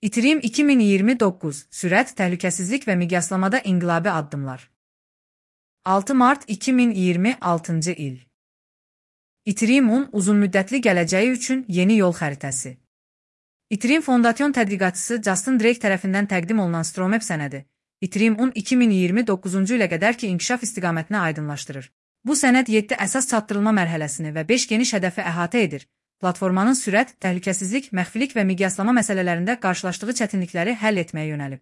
Ethereum 2029 sürət, təhlükəsizlik və miqyaslamada inqilabi addımlar. 6 mart 2026 il. Ethereum-un uzunmüddətli gələcəyi üçün yeni yol xəritəsi. Ethereum fondasyon tədqiqatçısı Justin Drake tərəfindən təqdim olunan Stromap sənədi, Ethereum-un 2029-cu ilə qədərki inkişaf istiqamətini aydınlaşdırır. Bu sənəd 7 əsas çatdırılma mərhələsini və 5 geniş hədəfi əhatə edir. Platformanın sürət, təhlükəsizlik, məxfilik və miqyaslama məsələlərində qarşılaşdığı çətinlikləri həll etməyə yönəlib.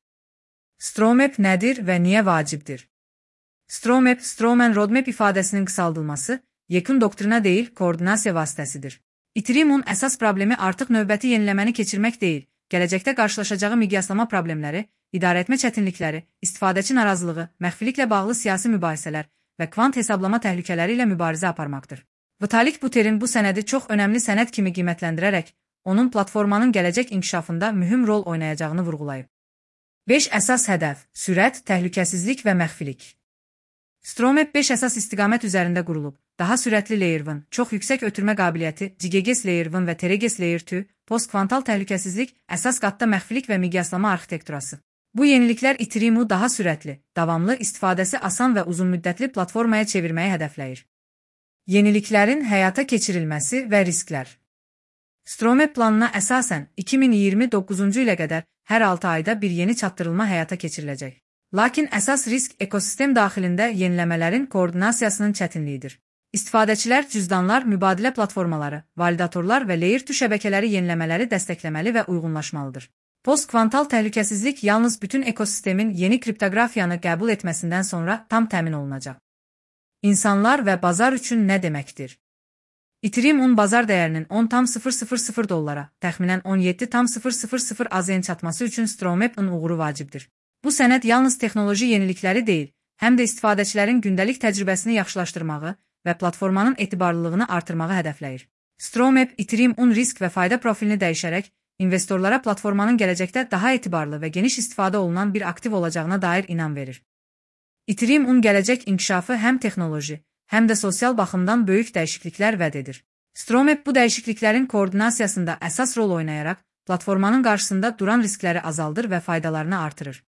Stromap nədir və niyə vacibdir? Stromap, Strawman Roadmap ifadəsinin qısaldılması, yekun doktrina deyil, koordinasiya vasitəsidir. Ethereum-un əsas problemi artıq növbəti yeniləməni keçirmək deyil, gələcəkdə qarşılaşacağı miqyaslama problemləri, idarəetmə çətinlikləri, istifadəçi narazılığı, məxfiliklə bağlı siyasi mübahisələr və kvant hesablama təhlükələri ilə mübarizə aparmaqdır. Vitalik Buterin bu sənədi çox önəmli sənəd kimi qiymətləndirərək, onun platformanın gələcək inkişafında mühüm rol oynayacağını vurğulayıb. 5 əsas hədəf: sürət, təhlükəsizlik və məxfilik. Stromap 5 əsas istiqamət üzərində qurulub. Daha sürətli Layer 1, çox yüksək ötürmə qabiliyyəti, GGS Layer 1 və TRGS Layer 2, post-kvantal təhlükəsizlik, əsas qatda məxfilik və miqyaslama arxitekturası. Bu yeniliklər Ethereum-u daha sürətli, davamlı, istifadəsi asan və uzunmüddətli platformaya çevirməyi hədəfləyir. Yeniliklərin həyata keçirilməsi və risklər. Stromap planına əsasən 2029-cu ilə qədər hər 6 ayda bir yeni çatdırılma həyata keçiriləcək. Lakin əsas risk ekosistem daxilində yeniləmələrin koordinasiyasının çətinliyidir. İstifadəçilər cüzdanlar, mübadilə platformaları, validatorlar və Layer 2 şəbəkələri yeniləmələri dəstəkləməli və uyğunlaşmalıdır. Post-kvantal təhlükəsizlik yalnız bütün ekosistemin yeni kriptoqrafiyanı qəbul etməsindən sonra tam təmin olunacaq. İnsanlar və bazar üçün nə deməkdir? Ethereum-un bazar dəyərinin $10,000 təxminən $17,000 AZN çatması üçün Stromap-ın uğuru vacibdir. Bu sənəd yalnız texnoloji yenilikləri deyil, həm də istifadəçilərin gündəlik təcrübəsini yaxşılaşdırmağı və platformanın etibarlılığını artırmağı hədəfləyir. Stromap, Ethereum-un risk və fayda profilini dəyişərək, investorlara platformanın gələcəkdə daha etibarlı və geniş istifadə olunan bir aktiv olacağına dair inam verir. Ethereum-un gələcək inkişafı həm texnoloji, həm də sosial baxımdan böyük dəyişikliklər vəd edir. Stromap bu dəyişikliklərin koordinasiyasında əsas rol oynayaraq, platformanın qarşısında duran riskləri azaldır və faydalarını artırır.